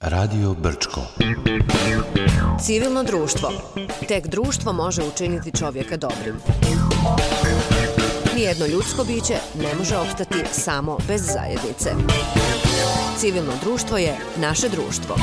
Radio Brčko. Civilno društvo. Tek društvo može učiniti čovjeka dobrim. Nijedno ljudsko biće ne može opstati samo bez zajednice. Civilno društvo je naše društvo.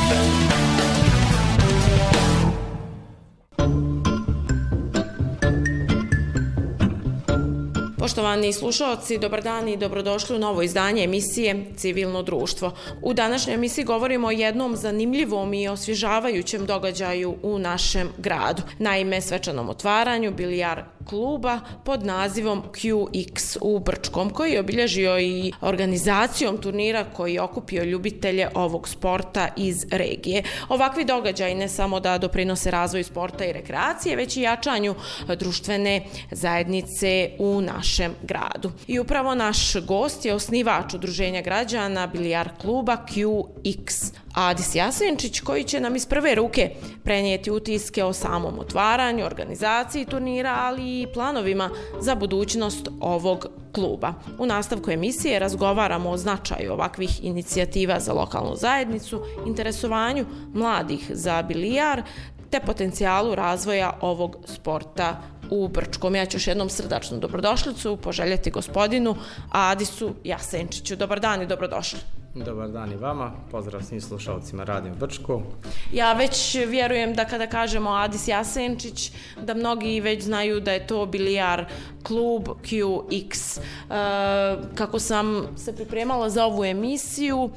Poštovani slušalci, dobar dan i dobrodošli u novo izdanje emisije Civilno društvo. U današnjoj emisiji govorimo o jednom zanimljivom i osvježavajućem događaju u našem gradu. Naime, svečanom otvaranju bilijar kluba pod nazivom QX u Brčkom, koji je obilježio i organizacijom turnira koji je okupio ljubitelje ovog sporta iz regije. Ovakvi događaji ne samo da doprinose razvoju sporta i rekreacije, već i jačanju društvene zajednice u našem gradu. I upravo naš gost je osnivač udruženja građana bilijar kluba QX, Adis Jasenčić, koji će nam iz prve ruke prenijeti utiske o samom otvaranju, organizaciji turnira, ali i planovima za budućnost ovog kluba. U nastavku emisije razgovaramo o značaju ovakvih inicijativa za lokalnu zajednicu, interesovanju mladih za bilijar, te potencijalu razvoja ovog sporta u Brčkom. Ja ću još jednom srdačnu dobrodošlicu poželjeti gospodinu Adisu Jasenčiću. Dobar dan i dobrodošli. Dobar dan i vama, pozdrav svim slušalcima Radio Brčko. Ja već vjerujem da kada kažemo Adis Jasenčić, da mnogi već znaju da je to bilijar klub QX. Kako sam se pripremala za ovu emisiju,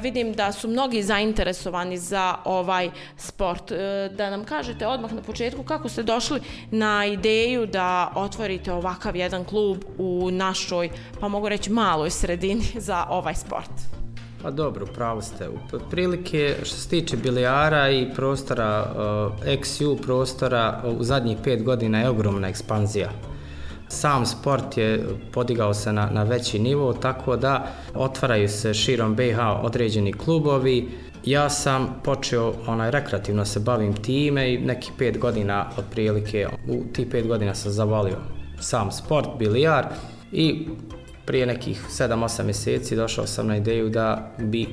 vidim da su mnogi zainteresovani za ovaj sport. Da nam kažete odmah na početku kako ste došli na ideju da otvorite ovakav jedan klub u našoj, pa mogu reći maloj sredini za ovaj sport. Pa dobro, pravo ste. Otprilike što se tiče bilijara i prostora, XU prostora, u zadnjih 5 godina je ogromna ekspanzija. Sam sport je podigao se na veći nivo, tako da otvaraju se širom BiH određeni klubovi. Ja sam počeo rekreativno se bavim time i nekih 5 godina otprilike, u tih 5 godina sam zavolio sam sport, bilijar, i prije nekih 7-8 mjeseci došao sam na ideju da bi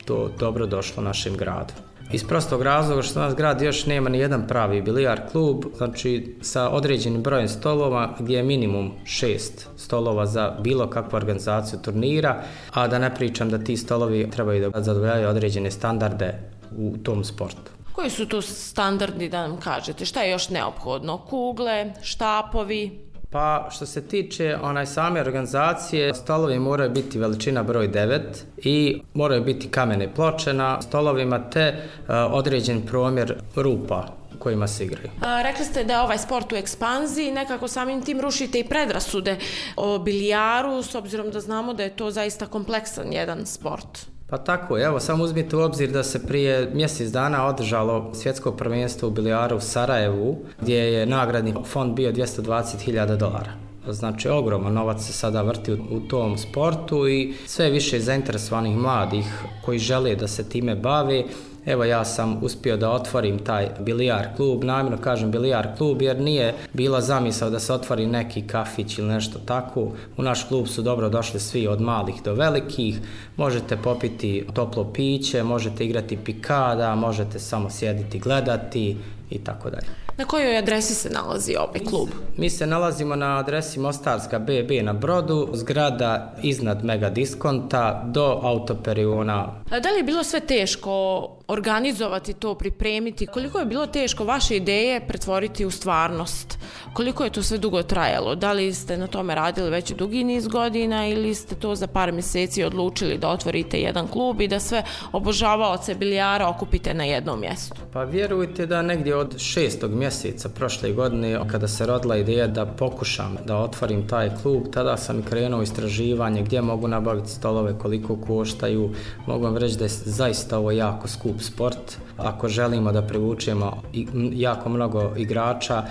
to dobro došlo našem gradu. Iz prostog razloga što naš grad još nema ni jedan pravi bilijar klub, znači sa određenim brojem stolova gdje je minimum 6 stolova za bilo kakvu organizaciju turnira, a da ne pričam da ti stolovi trebaju da zadovoljavaju određene standarde u tom sportu. Koji su to standardi, da nam kažete? Šta je još neophodno? Kugle, štapovi? Pa što se tiče same organizacije, stolovi moraju biti veličina broj 9 i moraju biti kamene ploče na stolovima te određen promjer rupa u kojima se igraju. Rekli ste da je ovaj sport u ekspanziji, nekako samim tim rušite i predrasude o bilijaru, s obzirom da znamo da je to zaista kompleksan jedan sport. Pa tako, evo, samo uzmite u obzir da se prije mjesec dana održalo svjetsko prvenstvo u bilijaru u Sarajevu, gdje je nagradni fond bio $220.000. Znači, ogroman novac se sada vrti u tom sportu i sve više zainteresovanih mladih koji žele da se time bave. Evo, ja sam uspio da otvorim taj bilijar klub, namjerno kažem bilijar klub jer nije bila zamisao da se otvori neki kafić ili nešto tako. U naš klub su dobro došli svi od malih do velikih, možete popiti toplo piće, možete igrati pikada, možete samo sjediti, gledati i tako dalje. Na kojoj adresi se nalazi ovaj klub? Mi se nalazimo na adresi Mostarska BB na Brodu, zgrada iznad Mega Diskonta do Autoperiona. Da li je bilo sve teško organizovati to, pripremiti? Koliko je bilo teško vaše ideje pretvoriti u stvarnost? Koliko je to sve dugo trajalo? Da li ste na tome radili već dugi niz godina ili ste to za par mjeseci odlučili da otvorite jedan klub i da sve obožavaoce bilijara okupite na jednom mjestu? Pa vjerujte da negdje od 6. mjeseca prošle godine, kada se rodila ideja da pokušam da otvorim taj klub, tada sam i krenuo istraživanje gdje mogu nabaviti stolove, koliko koštaju. Mogu vam reći da je zaista ovo jako skup sport. Ako želimo da privučemo jako mnogo igrača,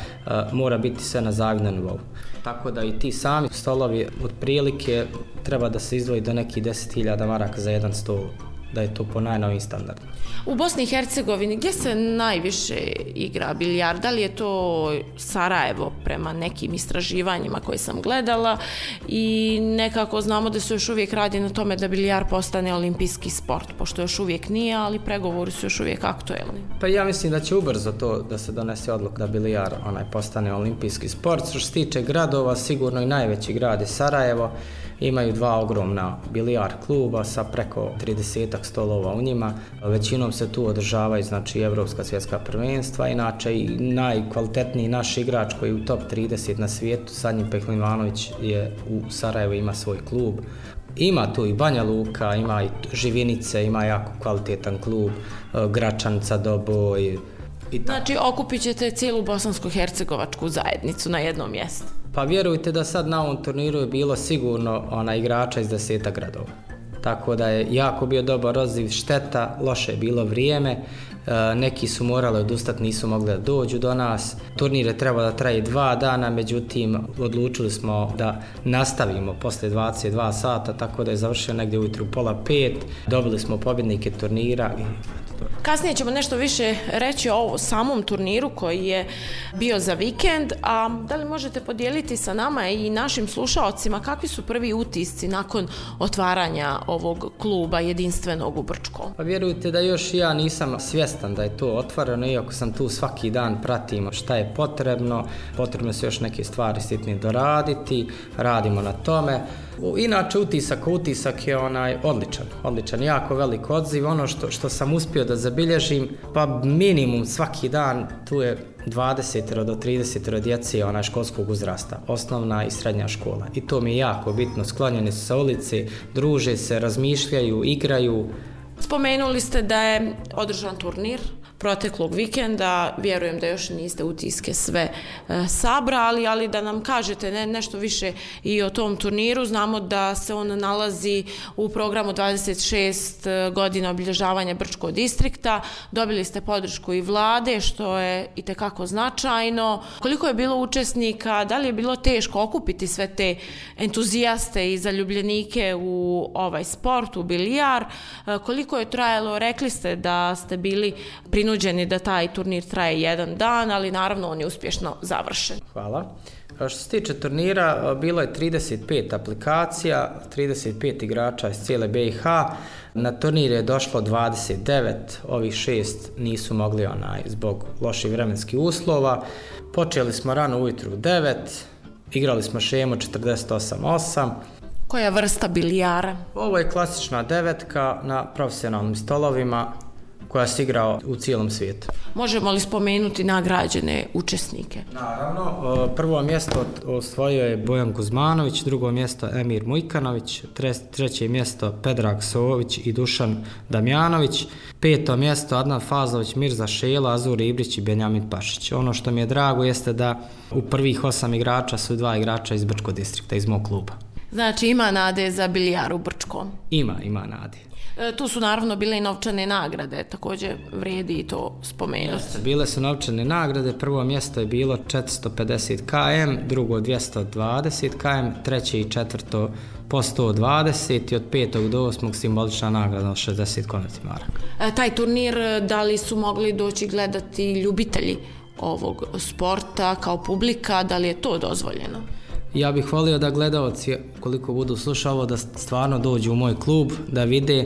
mora biti sve na zavidnom nivou. Tako da i ti sami stolovi otprilike treba da se izdvoji do nekih 10.000 maraka za jedan stol da je to po najnovim standardima. U Bosni i Hercegovini gdje se najviše igra bilijar? Da li je to Sarajevo prema nekim istraživanjima koje sam gledala i nekako znamo da se još uvijek radi na tome da bilijar postane olimpijski sport, pošto još uvijek nije, ali pregovori su još uvijek aktuelni. Pa ja mislim da će ubrzo to da se donese odluka da bilijar postane olimpijski sport. Što se tiče gradova, sigurno i najveći grad je Sarajevo. Imaju 2 ogromna bilijar kluba sa preko 30 stolova u njima. Većinom se tu održavaju znači evropska svjetska prvenstva. Inače i najkvalitetniji naš igrač koji je u top 30 na svijetu, Sanjin Pehlivanović, je u Sarajevu, ima svoj klub. Ima tu i Banja Luka, ima i Živinice, ima jako kvalitetan klub, Gračanica, Doboj. Znači okupit ćete cijelu bosansko-hercegovačku zajednicu na jednom mjestu. Pa vjerujte da sad na ovom turniru je bilo sigurno igrača iz 10 gradova. Tako da je jako bio dobar odziv, šteta, loše je bilo vrijeme, neki su morali odustati, nisu mogli da dođu do nas. Turnir je trebao da traje 2 dana, međutim odlučili smo da nastavimo posle 22 sata, tako da je završio negdje ujutru 4:30, dobili smo pobjednike turnira. Kasnije ćemo nešto više reći o samom turniru koji je bio za vikend, a da li možete podijeliti sa nama i našim slušaocima kakvi su prvi utisci nakon otvaranja ovog kluba jedinstvenog u Brčkom? Pa vjerujte da još ja nisam svjestan da je to otvoreno, iako sam tu svaki dan, pratimo šta je potrebno se još neke stvari sitnije doraditi, radimo na tome. Inače utisak je odličan, jako velik odziv. Ono što sam uspio da zabilježim, pa minimum svaki dan tu je 20 do 30 djece školskog uzrasta, osnovna i srednja škola. I to mi je jako bitno, sklonjeni su sa ulici, druže se, razmišljaju, igraju. Spomenuli ste da je održan turnir proteklog vikenda, vjerujem da još niste utiske sve sabrali, ali da nam kažete nešto više i o tom turniru. Znamo da se on nalazi u programu 26 godina obilježavanja Brčkog distrikta. Dobili ste podršku i vlade, što je itekako značajno. Koliko je bilo učesnika, da li je bilo teško okupiti sve te entuzijaste i zaljubljenike u ovaj sport, u bilijar? Koliko je trajalo? Rekli ste da ste bili prinuđeni da taj turnir traje 1 dan, ali naravno on je uspješno završen. Hvala. Što se tiče turnira, bilo je 35 aplikacija, 35 igrača iz cijele BiH. Na turnir je došlo 29, ovih 6 nisu mogli zbog loših vremenskih uslova. Počeli smo rano ujutru u 9, igrali smo šemu 48-8. Koja vrsta bilijara? Ovo je klasična 9 na profesionalnim stolovima koja se igra u cijelom svijetu. Možemo li spomenuti nagrađene učesnike? Naravno, prvo mjesto osvojio je Bojan Kuzmanović, drugo mjesto Emir Mujkanović, treće mjesto Predrag Sović i Dušan Damjanović, 5. mjesto Adnan Fazlović, Mirza Šela, Azur Ibrić i Benjamin Pašić. Ono što mi je drago jeste da u prvih 8 igrača su 2 igrača iz Brčkog distrikta, iz mog kluba. Znači ima nade za bilijar u Brčkom? Ima nade. Tu su naravno bile i novčane nagrade, također vrijedi i to spomenuti. Bile su novčane nagrade, prvo mjesto je bilo 450 km, drugo 220 km, treće i četvrto po 120 i od 5. do 8. simbolična nagrada od 60 konvertnih maraka. Taj turnir, da li su mogli doći gledati ljubitelji ovog sporta kao publika, da li je to dozvoljeno? Ja bih volio da gledaoci, koliko budu slušali ovo, da stvarno dođu u moj klub, da vide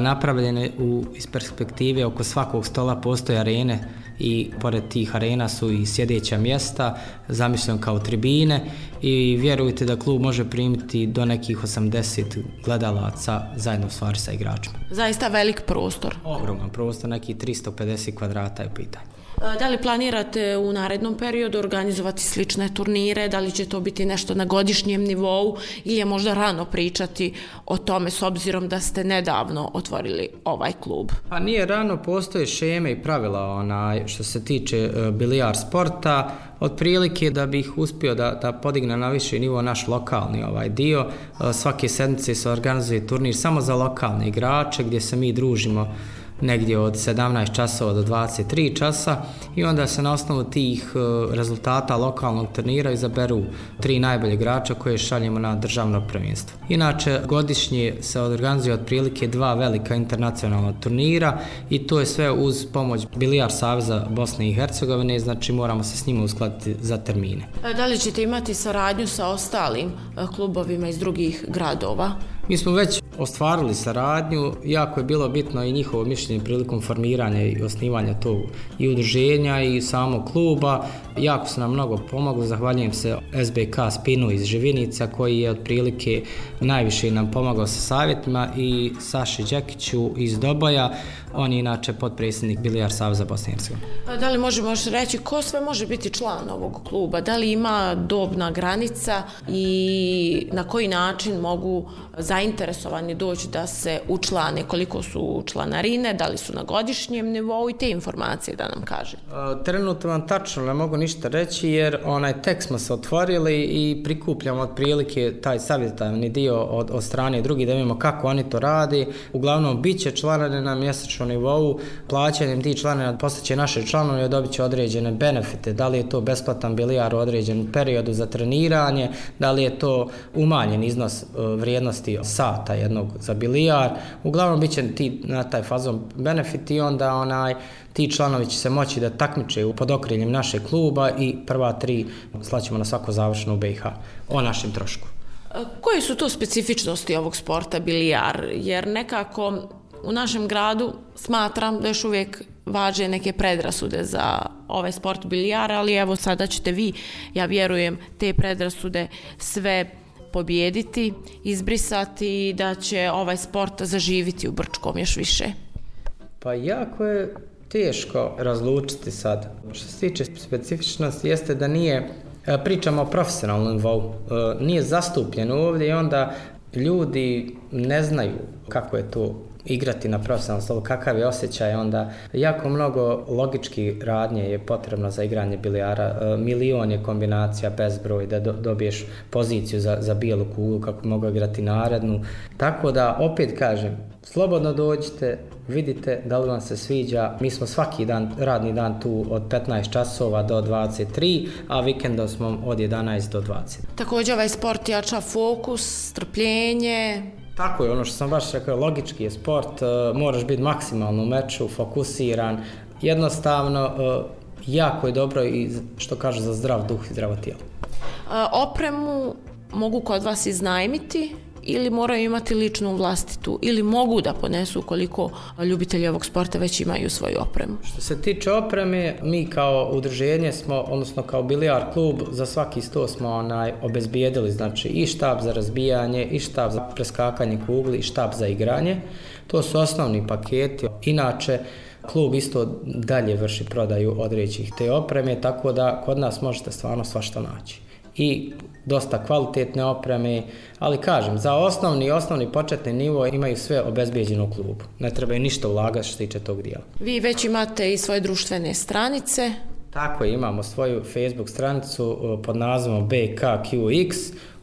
napravljene iz perspektive oko svakog stola postoje arene i pored tih arena su i sjedeća mjesta, zamišljeno kao tribine i vjerujte da klub može primiti do nekih 80 gledalaca zajedno stvari sa igračima. Zaista velik prostor. Ogroman prostor, nekih 350 kvadrata je u pitanju. Da li planirate u narednom periodu organizovati slične turnire, da li će to biti nešto na godišnjem nivou ili je možda rano pričati o tome s obzirom da ste nedavno otvorili ovaj klub? Pa nije rano, postoje šeme i pravila što se tiče bilijar sporta. Otprilike da bih uspio da podigne na viši nivo naš lokalni dio. Svake sedmice se organizuje turnir samo za lokalne igrače gdje se mi družimo negdje od 17 časova do 23 časa i onda se na osnovu tih rezultata lokalnog turnira izaberu 3 najbolje igrača koje šaljemo na državno prvenstvo. Inače, godišnje se organizuje otprilike 2 velika internacionalna turnira i to je sve uz pomoć Bilijar saveza Bosne i Hercegovine, znači moramo se s njima uskladiti za termine. Da li ćete imati saradnju sa ostalim klubovima iz drugih gradova? Mi smo već ostvarili saradnju, jako je bilo bitno i njihovo mišljenje prilikom formiranja i osnivanja tog i udruženja i samog kluba. Jako su nam mnogo pomogli, zahvaljujem se SBK Spinu iz Živinica koji je otprilike najviše nam pomogao sa savjetima i Saši Đekiću iz Doboja, on je inače potpredsjednik Bilijar saveza Bosne i Hercegovine. Da li možemo reći ko sve može biti član ovog kluba? Da li ima dobna granica i na koji način mogu zainteresovani doći da se učlane, koliko su članarine, da li su na godišnjem nivou i te informacije da nam kaže? Trenutno vam tačno ne mogu ništa reći jer tek smo se otvorili i prikupljamo otprilike taj savjetodavni dio od strane drugih da vidimo kako oni to radi. Uglavnom bit će članarine na mjesečnom nivou, plaćanjem tih članarina postaće naše članove i dobit će određene benefite, da li je to besplatan bilijar u određenom periodu za treniranje, da li je to umanjen iznos vrijednosti sata jednog za bilijar. Uglavnom bit će na taj fazon benefit i onda ti članovi će se moći da takmiče pod okriljem našeg kluba i prva 3 slaćemo na svako završeno u BiH o našem trošku. Koje su to specifičnosti ovog sporta bilijar? Jer nekako u našem gradu smatram da još uvijek važe neke predrasude za ovaj sport bilijara, ali evo sada ćete vi, ja vjerujem, te predrasude sve pobijediti, izbrisati i da će ovaj sport zaživiti u Brčkom još više. Pa jako je teško razlučiti sad. Što se tiče specifičnosti jeste da pričamo o profesionalnom nivou, nije zastupljeno ovdje i onda ljudi ne znaju kako je to igrati na profesionalnom stolu, kakav je osjećaj, onda jako mnogo logički radnje je potrebno za igranje bilijara, milion je kombinacija bezbroj da dobiješ poziciju za bijelu kuglu kako mogu igrati narednu, tako da opet kažem, slobodno dođite, vidite da li vam se sviđa, mi smo svaki dan, radni dan tu od 15 časova do 23, a vikendom smo od 11 do 20. Također ovaj sport jača fokus, strpljenje. Tako je, ono što sam baš rekao, logički je sport, moraš biti maksimalno u meču, fokusiran, jednostavno jako je dobro i što kažu za zdrav duh i zdravo tijelo. Opremu mogu kod vas iznajmiti ili moraju imati ličnu vlastitu ili mogu da ponesu koliko ljubitelji ovog sporta već imaju svoju opremu? Što se tiče opreme, mi kao udruženje smo, odnosno kao bilijar klub, za svaki 100 smo obezbijedili, znači i štab za razbijanje, i štab za preskakanje kugli, i štab za igranje. To su osnovni paketi. Inače, klub isto dalje vrši prodaju određenih te opreme, tako da kod nas možete stvarno svašta naći. I dosta kvalitetne opreme, ali kažem, za osnovni početni nivo imaju sve obezbijeđeno u klubu. Ne treba ništa ulagati što se tiče tog dijela. Vi već imate i svoje društvene stranice. Tako je, imamo svoju Facebook stranicu pod nazivom BKQX.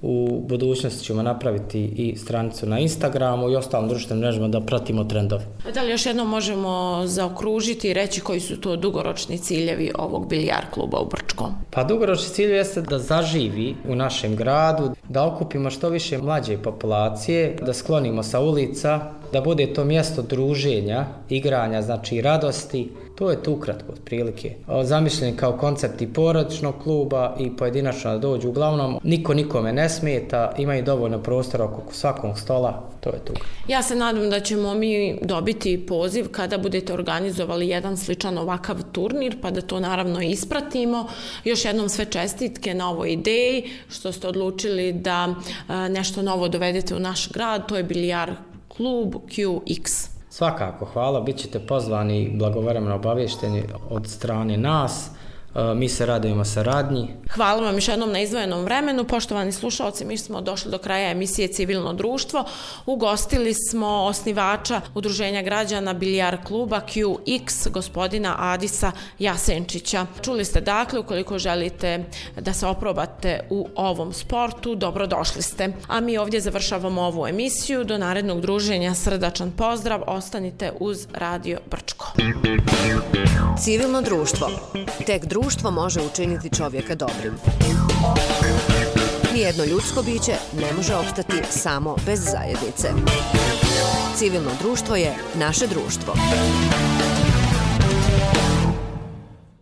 U budućnosti ćemo napraviti i stranicu na Instagramu i ostalim društvenim mrežama da pratimo trendove. Da li još jednom možemo zaokružiti i reći koji su to dugoročni ciljevi ovog bilijar kluba u Brčkom? Pa dugoročni cilj jeste da zaživi u našem gradu, da okupimo što više mlađe populacije, da sklonimo sa ulica, da bude to mjesto druženja, igranja, znači radosti. To je tu ukratko otprilike. Zamišljen kao koncept i porodičnog kluba i pojedinačno da dođu. Uglavnom, niko nikome ne smeta, imaju dovoljno prostora oko svakog stola, to je tu. Ja se nadam da ćemo mi dobiti poziv kada budete organizovali jedan sličan ovakav turnir, pa da to naravno ispratimo. Još jednom sve čestitke na ovoj ideji, što ste odlučili da nešto novo dovedete u naš grad, to je bilijar klub QX. Svakako, hvala, bit ćete pozvani i blagovremeno obavješteni od strane nas. Mi se radujemo saradnji. Hvala vam još jednom na izdvojenom vremenu. Poštovani slušalci, mi smo došli do kraja emisije Civilno društvo. Ugostili smo osnivača Udruženja građana Bilijar kluba QX, gospodina Adisa Jasenčića. Čuli ste dakle, ukoliko želite da se oprobate u ovom sportu, dobrodošli ste. A mi ovdje završavamo ovu emisiju. Do narednog druženja srdačan pozdrav. Ostanite uz Radio Brčko. Civilno društvo. Tek društvo može učiniti čovjeka dobrim. Nijedno ljudsko biće ne može opstati samo bez zajednice. Civilno društvo je naše društvo.